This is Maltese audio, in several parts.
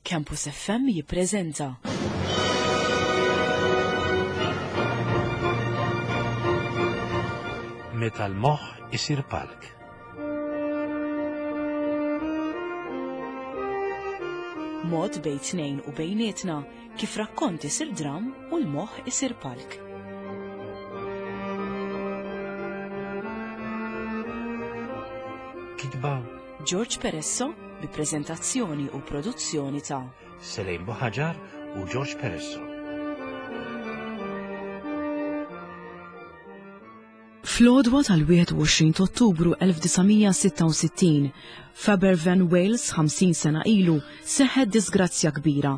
Campus FM jippreżenta. Meta l-moħħ isir palk. Mod bejn tnejn u bejnietna kif rakkont isir dram u l-moħħ isir palk. Kitba George Peresso bi preżentazzjoni u produzzjoni ta' Selejn Buħaġar u George Peresso. Fl-għodwa tal-21 ta' Ottubru 1966, f'Aberfan, Wales, 50 sena ilu, seħħet disgrazzja kbira.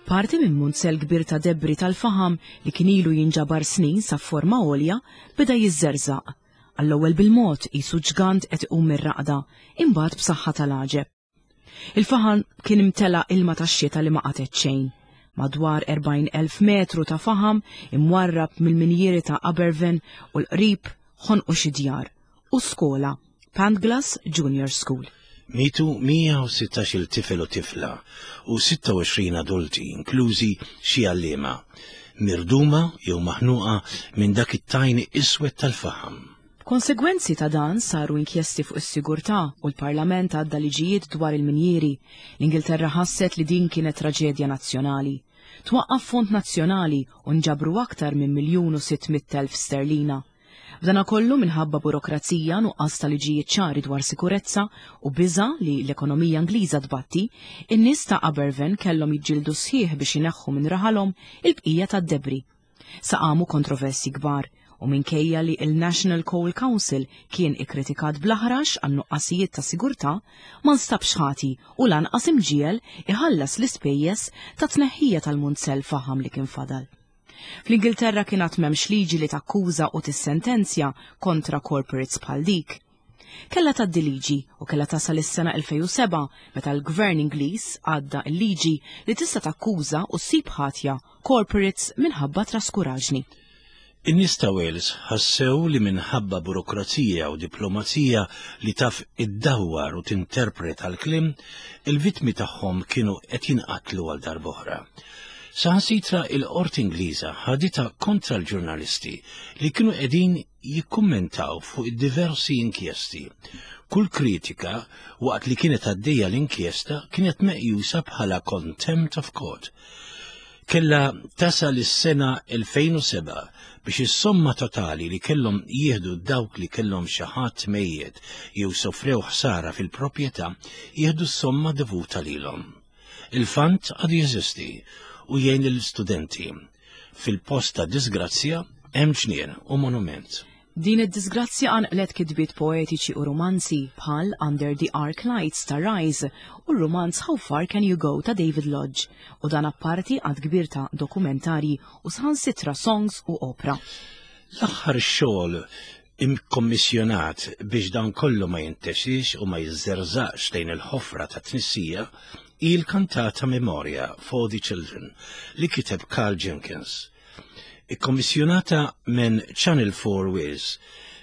Parti minn munzell kbir ta' debri tal-faħam li kien ilu jinġabar snin sa forma għolja beda jiżżerżaq. Għall-ewwel bil-mod qisu ġgant qed iqum mir-raqda, imbagħad b'saħħa tal-għaġeb. Il-faħam kien imtela ilma tax-xita li ma qatgħet xejn. Madwar 40,000 metru ta' faħam imwarrab mill-minjieri ta' Aberfan u l-qrib ħonqu xi djar u skola, Pantglas Junior School. Mietu 116-il tifel u tifla u 26 adulti, inklużi xi għalliema, mirduma jew maħnuqa minn dak it-tajn iswed tal-faħam. B'konsegwenzi ta' dan saru inkjesti fuq is-sigurtà u l-Parlament għadda liġijiet dwar il-minjieri. L-Ingilterra ħasset li din kienet traġedja nazzjonali. Twaqqaf fond nazzjonali u nġabru aktar minn 1,600,000 sterlina. B'danakollu minħabba burokrazija, nuqqas ta' liġijiet ċari dwar sikurezza u biża' li l-ekonomija Ingliża tbatti, in-nies ta' Aberfan kellhom jiġġieldu sħiħ biex ineħħu minn raħalhom il-bqija tad-debri. Sa qamu kontroversji kbar u minkejja li il-National Coal Council kien ikkritikat bl-aħrax għan nuqqasijiet ta' sigurtà, ma nstabx ħati u lanqas imġiegħel iħallas l-ispejjeż ta' tneħħija tal-munzell faħam li kien fadal. Fl-Ingilterra kien għad m'hemmx liġi li takkuża u tissentenzja kontra corporates bħal dik. Kellha tgħaddi liġi u kellha tasal is-sena 2007 meta l-Gvern Ingliż għadda l-liġi li tista' takkuża u ssib ħatja corporates minħabba traskuraġni. In-nies ta' Wales ħassew li minħabba burokrazija u diplomazija li taf iddawwar u tinterpreta l-kliem, il-vittmi tagħhom kienu qed jinqatlu għal darb'oħra. Saħansitra il-Qorti Ingliża ħaditha kontra l-ġurnalisti li kienu qegħdin jikkummentaw fuq id-diversi inkjesti. Kull kritika waqt li kienet għaddejja l-inkjesta kienet meqjusa bħala contempt of court. Kella tasal is-sena 2007 biex is-somma totali li kellhom jieħdu dawk li kellhom xi ħadd mejjet jew sofrew ħsara fil-proprjetà jieħdu s-somma dovuta lilhom. Il-fund għadu jeżisti u jgħin lill-istudenti. Fil-post ta' disgrazzja hemm ġnien u monument. Din id-disgrazzja qanqlet kitbiet poetiċi u romanzi bħal Under the Arc Lights ta' Rise u r-romanz How Far Can You Go ta' David Lodge u dan apparti għadd kbir ta' dokumentarji u saħansitra songs u opra. L-aħħar xogħol imkommissjonat biex dan kollu ma jintesix u ma jiżżerżaqx lejn il-ħofra ta' tnissija hi l-kantata Memoria for the Children li kiteb Karl Jenkins. Ikkommissjonata minn Channel 4 Wales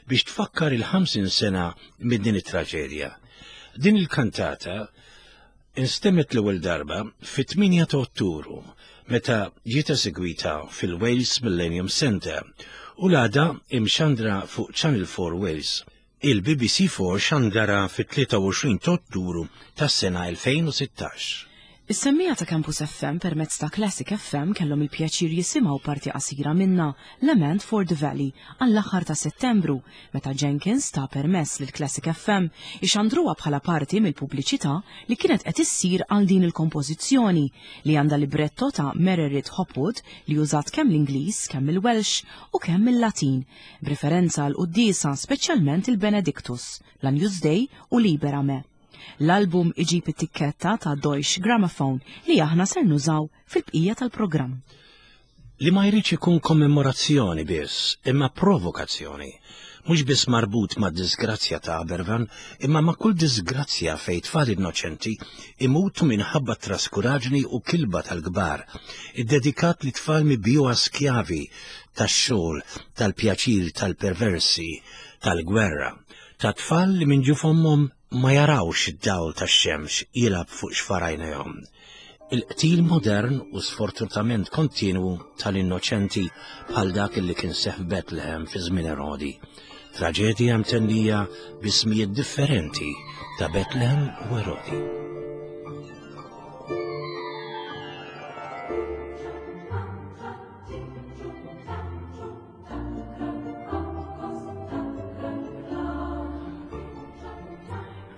biex tfakkar il-50 sena minn din it-traġedja. Din il-kantata instemmet l-ewwel darba fit-8 ta' Ottubru meta ġiet esegwita fil-Wales Millennium Centre u l-għada imxandra fuq Channel 4 Wales. Il-BBC 4 xandara fit-23 ta' Ottubru tas-sena 2016. Is-semmiegħa ta' Campus FM permezz ta' Classic FM kellhom il-pjaċir jisimgħu parti qasira minnha, Lament for the Valley, għall-aħħar ta' Settembru, meta Jenkins ta permess lil Classic FM ixandruha bħala parti mill-pubbliċità li kienet qed issir għal din il-kompożizzjoni li għandha libretto ta' Mererid Hopwood li użat kemm l-Ingliż, kemm il-Welsh u kemm il-Latin, b'riferenza għal quddiesa speċjalment il-Benedictus, l-Agnus Dei u Libera Me. L-album iġib it-tikketta ta' Deutsche Grammophon li aħna ser nużaw fil-bqija tal-programm. Li ma jridx ikun kommemorazzjoni biss, imma provokazzjoni. Mhux biss marbut ma' disgrazzja ta' Aberfan, imma ma' kull disgrazzja fejn tfal innoċenti imutu minħabba traskuraġni u kilba tal-kbar, iddedikat li tfal mibjuha skjavi tax-xogħol, tal-pjaċir tal-perversi, tal-gwerra, ta' tfal li minn ġuf ommhom ma jarawx id-dawl tax-xemx jilgħab fuq xfar għajnejhom. Il-qtil modern u sfortunatament kontinwu tal-innoċenti bħal dak li kien seħ f'Bethlehem fi żmien Erodi. Traġedja mtennija b'ismijiet differenti ta' Bethlehem u Erodi.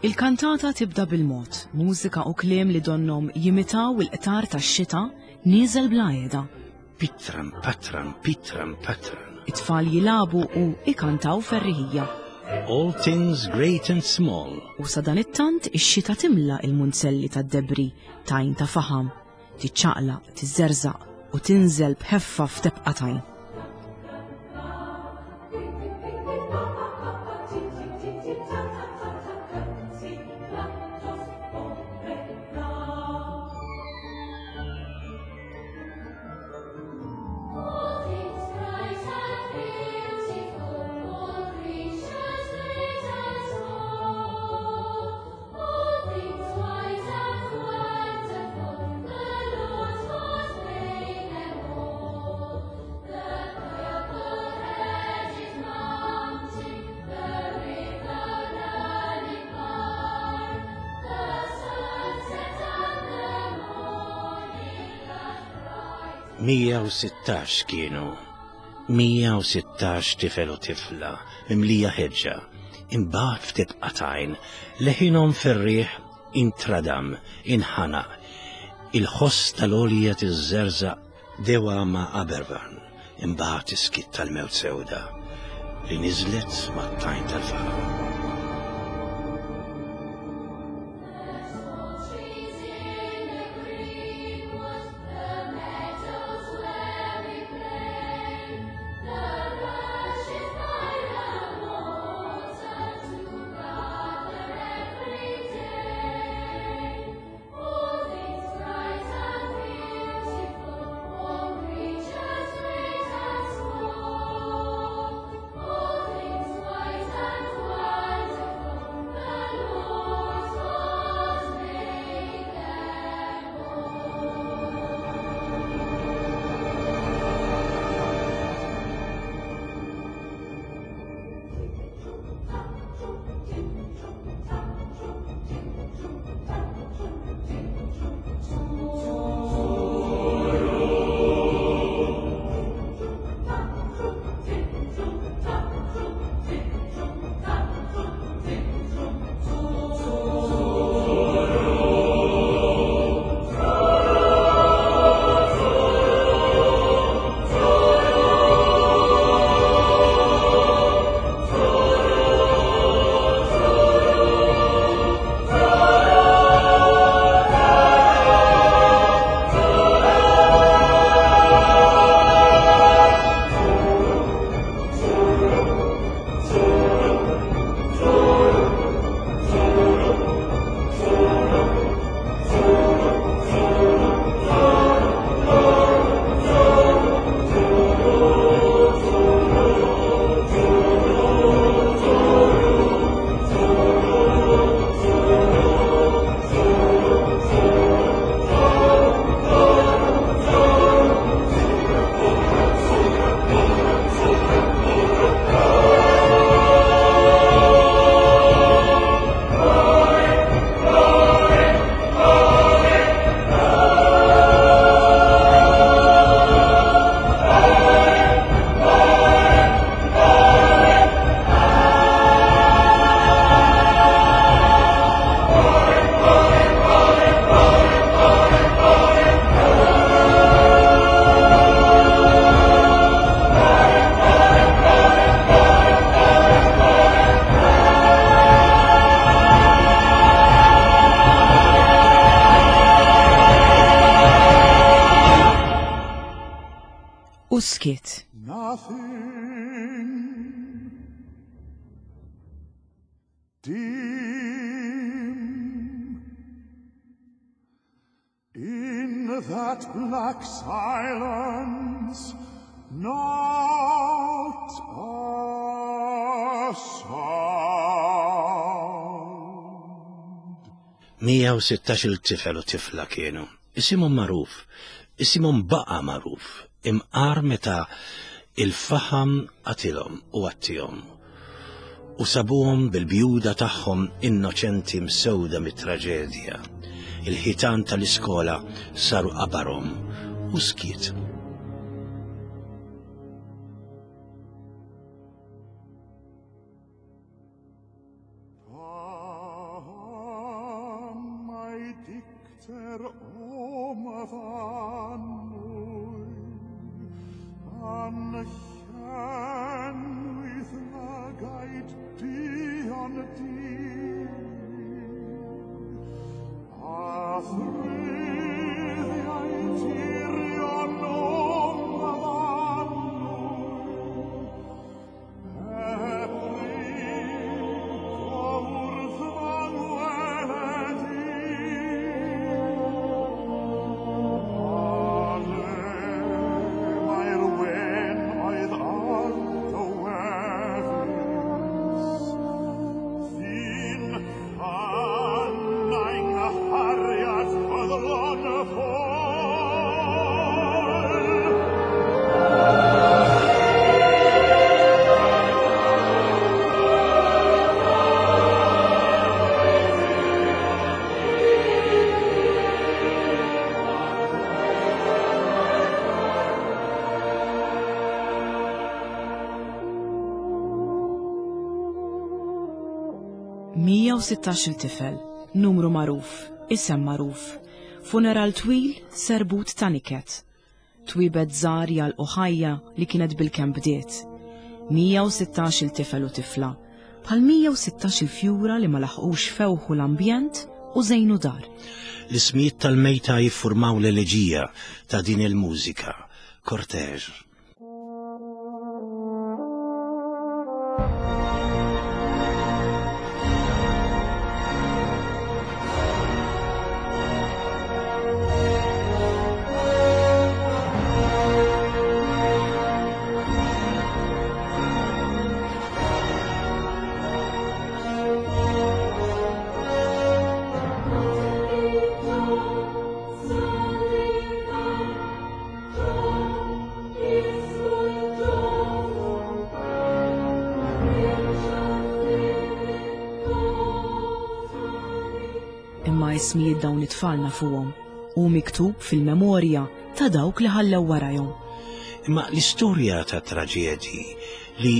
Il-kantata tibda bil-mod, mużika u kliem li donnhom jimitaw il-qtar tax-xita nieżel bla qiegħda. Pitran, patran, pitran, patran. It-tfal jilagħbu u ikantaw ferriħija. All things great and small. U sadanittant ix-xita timla il-munzelli tad-debri tajn ta' faħam tiċċaqlaq, tiżżerżaq u tinżel b'ħeffa f'tebqa tajn. 116 kienu. 116 tifel u tifla mimlija ħeġġa. Imbagħad ftit qatajn leħinhom fir-riħ intradam, inħanaq. Il-ħoss tal-għolja tiżżerżaq dewa ma' Aberfan, imbagħad is-skiet tal-mewt sewda li niżlet mat-tajn tal-faħam. U skiet. Nothing dim in that black silence, not a sound. 116 tifel u tifla kienu. Isimhom magħruf, isimhom baqa' magħruf, imqar meta il-faħam qatilhom u għattihom. U sabuhom bil-bjuda tagħhom innoċenti msewda mit-traġedja. Il-ħitan tal-iskola saru qabarhom u skiet. 116-il tifel, numru magħruf, isem magħruf, funeral twil, serbut ta' niket. Twiebet żgħar jagħlqu ħajja li kienet bilkemm bdiet. 116-il tifel u tifla, bħal 116-il fjura li ma laħqux fewħu l-ambjent u żejnu dar. L-ismijiet tal-mejta jiffurmaw l-eleġija ta' din il-mużika, cortège. Imma ismijiet dawn it-tfal nafuhom u miktub fil-memorja ta' dawk li ħallew warajhom. Imma l-istorja ta' traġedji li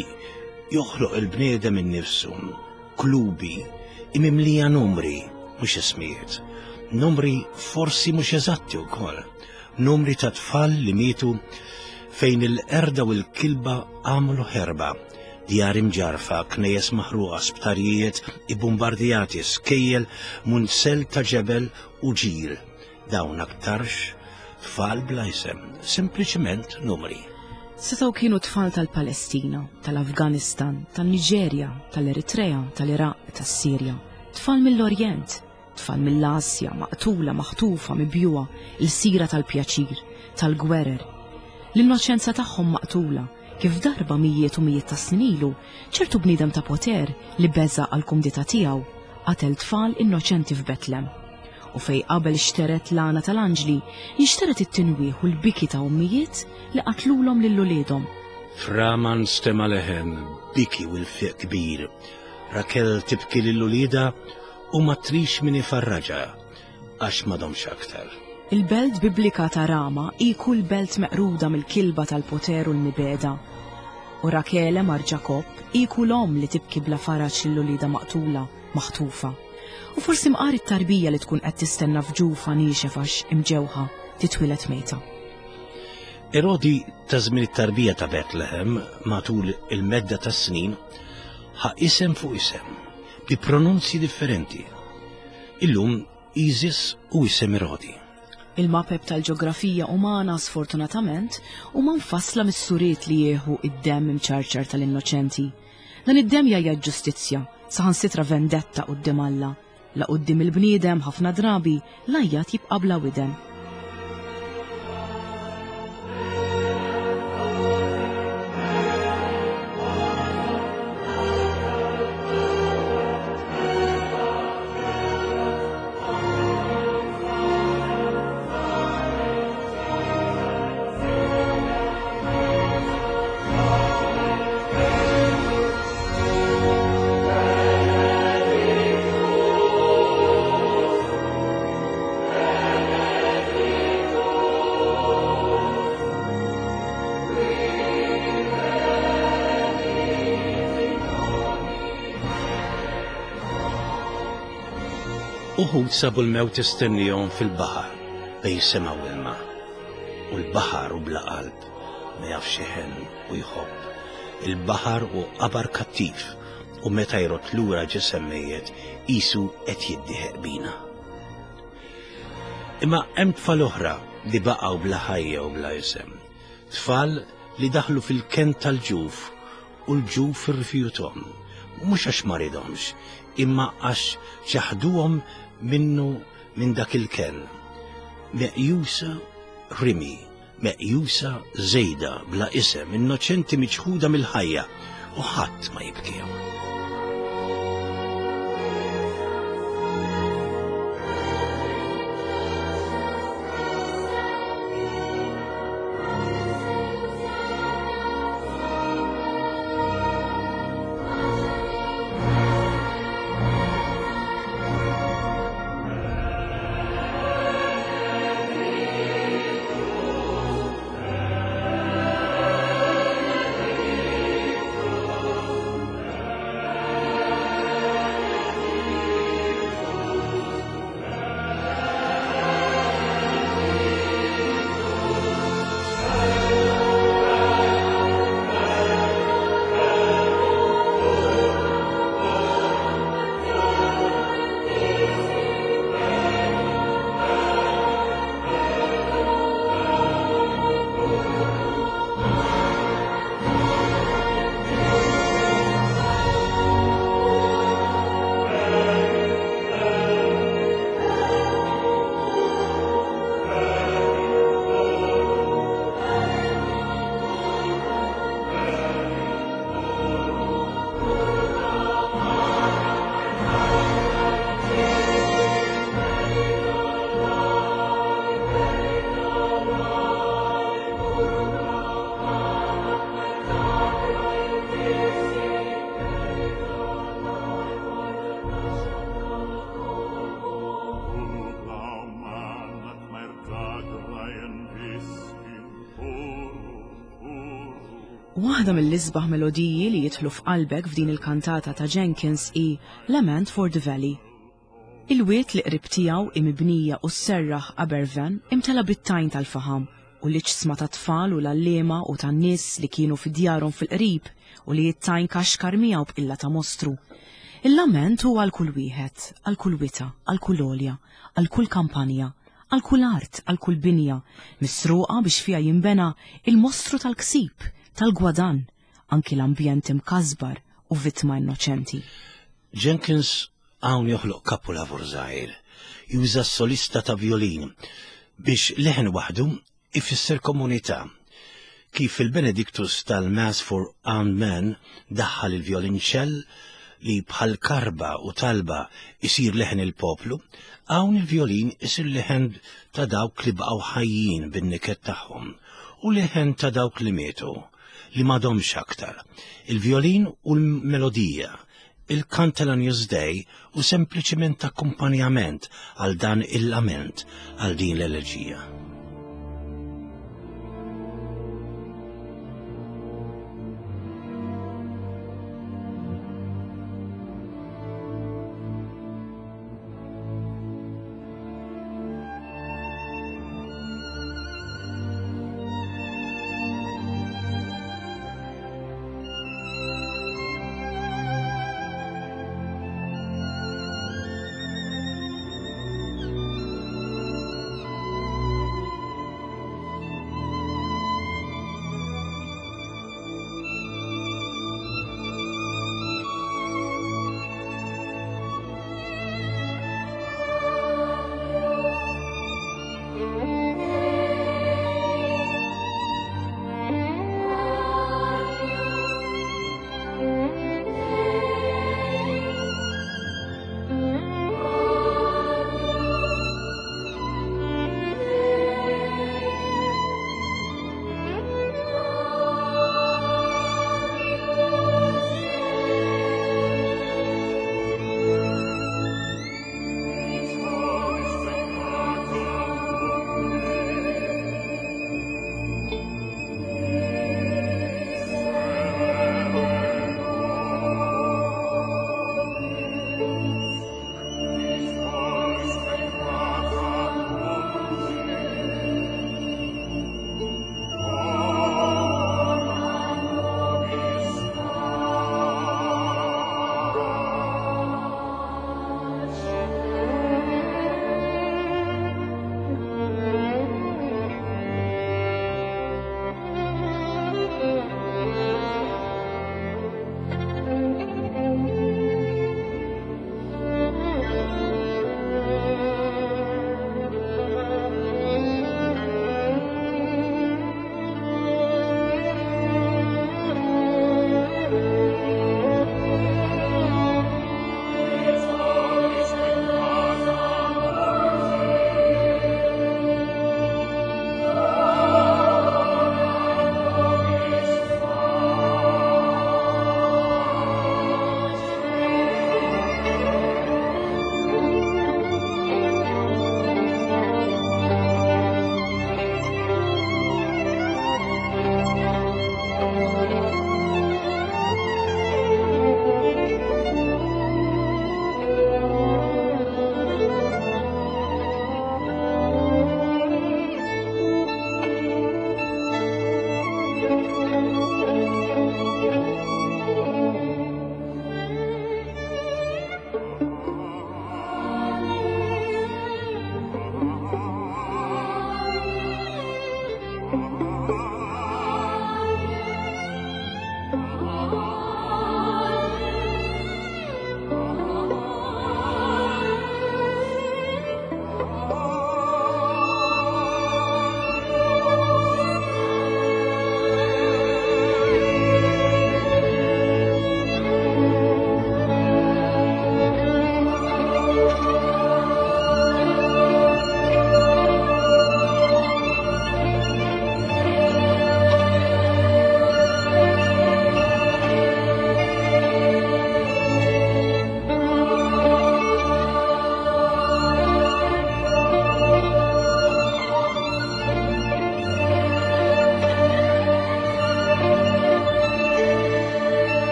joħloq il-bniedem innifsu, klubi, imimlija numri, mhux ismijiet. Numri forsi mhux eżatti wkoll. Numri ta' tfal li mietu fejn il-qerda u l-kilba għamlu ħerba. Djar imġarfa, knejjes maħruqa, sptarijiet ibbumbardjati, skejjel, munzell ta' ġebel u ġir. Dawn aktarx tfal bla isem, sempliċement numri. Setgħu kienu tfal tal-Palestina, tal-Afganistan, tan-Niġerja, tal-Eritrea, tal-Iraq, tas-Sirja. Tfal mill-Orjent, tfal mill-Asja, maqtula, maħtufa, mibjugħa, il-sira tal-pjaċir, tal-gwerer. L-innoċenza tagħhom maqtula, kif darba mijiet u mijiet ta' snin ilu, ċertu bniedem ta' poter li beża' għall-kumdità tiegħu, qatel tfal innoċenti f'Betlem. U fej qabel xteret l-għana tal-anġli, inxteret it-tinwieħ u l-biki ta' ommijiet li qatlulhom lil uliedhom. F'Rama nstema' leħen, biki u lfiq kbir. Rakel tibki lil uliedha u ma trix min ifarraġha, għax m'għadhomx aktar. Il-belt biblika ta' Rama hi kull belt meqruda mill-kilba tal-poter u l-mibegħda. U Rakele mar Ġakobb hi kull omm li tibki bla faraġ lil uliedha maqtula, maħtufa. U forsi mqar it-tarbija li tkun qed tistenna f'ġufha niexef għax imġewħa titwieled mejta. Erodi ta' żmien it-tarbija ta' Betlehem matul il-medda tas-snin ħa isem fuq isem bi pronunzji differenti. Illum Isis u isem Erodi. Il-mapep tal-ġeografija umana sfortunatament huma mfassla mis-suriet li jieħu id-demm imċarċar tal-innoċenti. Dan id-demm jgħajjat ġustizzja, saħansitra vendetta quddiem Alla. La quddiem il-bniedem ħafna drabi l-għajjat jibqa' bla widen. Uħud sabu l-mewt tistennihom fil-baħar bejn sema u ilma. U l-baħar hu bla qalb, ma jafx iħenn u jħobb. Il-baħar hu qabar kattiv u meta jrodd lura ġisem mejjet qisu qed jiddieħeq bina. Imma hemm tfal oħra li baqgħu bla ħajja u bla isem. Tfal li daħlu fil-kenn tal-ġuf u l-ġuf irrifjuthom. Mhux għax ma riedhomx, imma għax ċaħduhom minnu minn dak il-kenn. Meqjusa rimi, meqjusa żejda bla isem, innoċenti miċħuda mill-ħajja u ħadd ma jibkihom. Waħda mill-isbaħ melodiji li jidħlu f'qalbek f'din il-kantata ta' Jenkins hi Lament for the Valley. Il-wied li qrib tiegħu hi mibnija u sserraħ Aberfan imtela bit-tajn tal-faħam u l-iġsma tat-tfal u l-għalliema u tan-nies li kienu fi djarhom fil-qrib u li t-tajn kaxkar miegħu b'qilla ta' mostru. Il-lament hu għal kull wieħed, għal kull wita, għal kull għolja, għal kull kampanja, għal kull art, għal kull binja, misruqa biex fiha jinbena il-mostru tal-ksib, tal-gwadann, anki l-ambjent imkasbar u vittma innoċenti. Jenkins hawn joħloq kapulavur żgħir, juża solista ta' violin biex leħen waħdu ifisser komunità. Kif il-Benedictus tal-Mass for Armed Men daħħal il-violinċell li bħal karba u talba isir leħen il-poplu, hawn il-violin isir leħen ta' dawk li baqgħu ħajjin bin-niket tagħhom u leħen ta' dawk li mietu, li m'għadhomx aktar. Il-violin u l-melodija, il-kant tal-Agnus Dei u sempliċiment akkumpanjament għal dan il-lament, għal din l-eleġija.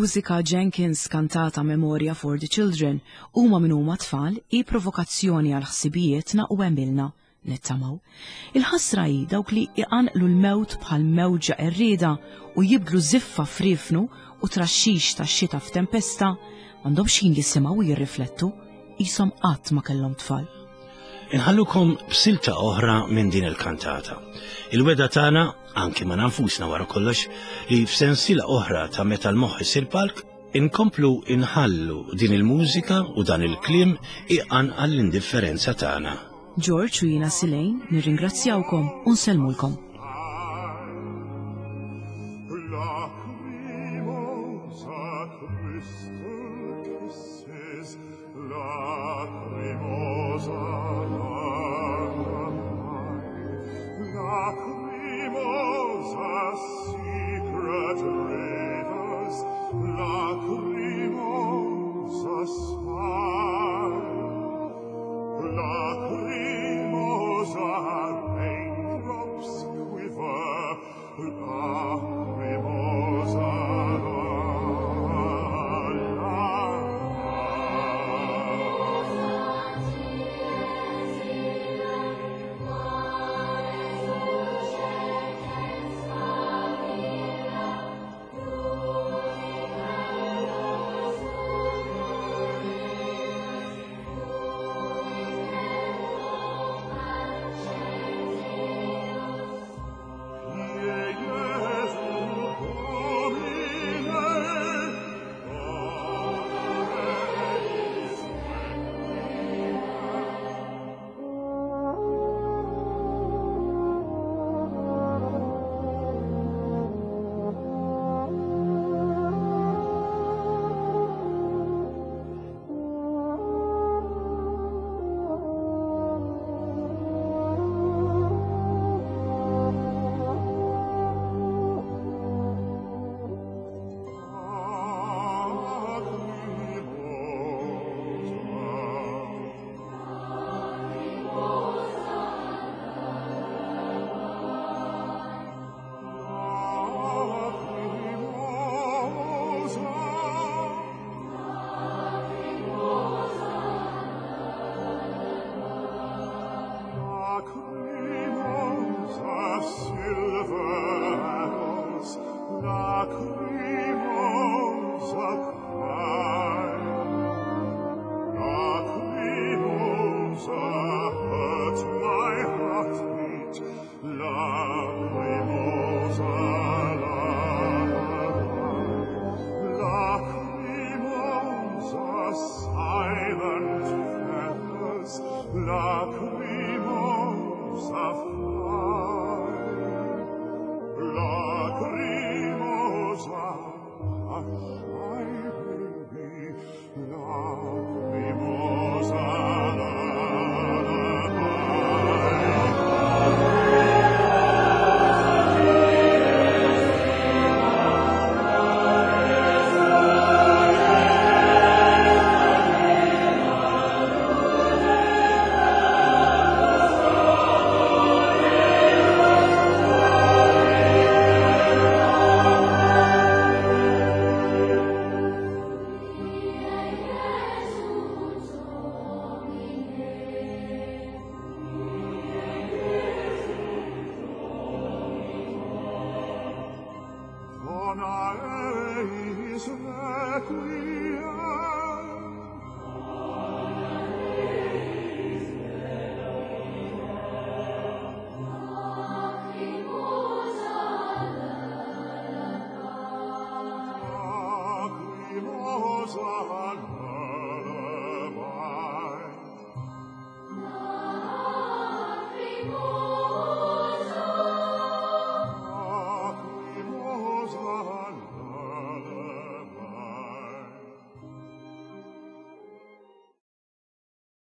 Il-mużika Jenkins kantata Memoria for the Children huma min huma tfal hi provokazzjoni għal ħsibijietna u għemilna, nittamaw. Il-ħasra hi dawk li iqanqlu l-mewt bħal mewġa qerrieda u jibdlu żiffa f'riefnu u traxxix tax-xita f'tempesta, m'għandhomx ħin jisimgħu u jirriflettu, qishom qatt ma kellhom tfal. Inħallukom b'silta oħra minn din il-kantata. Il-weda tagħna, anki ma' nfusna wara kollox, li f'sensiela oħra ta' meta l-moħħ isir palk, inkomplu inħallu din il-mużika u dan il-kliem iqanqal l-indifferenza tagħna. George u jiena Silejn nirringrazzjawkom u nsellmulkom. Lacrimosa.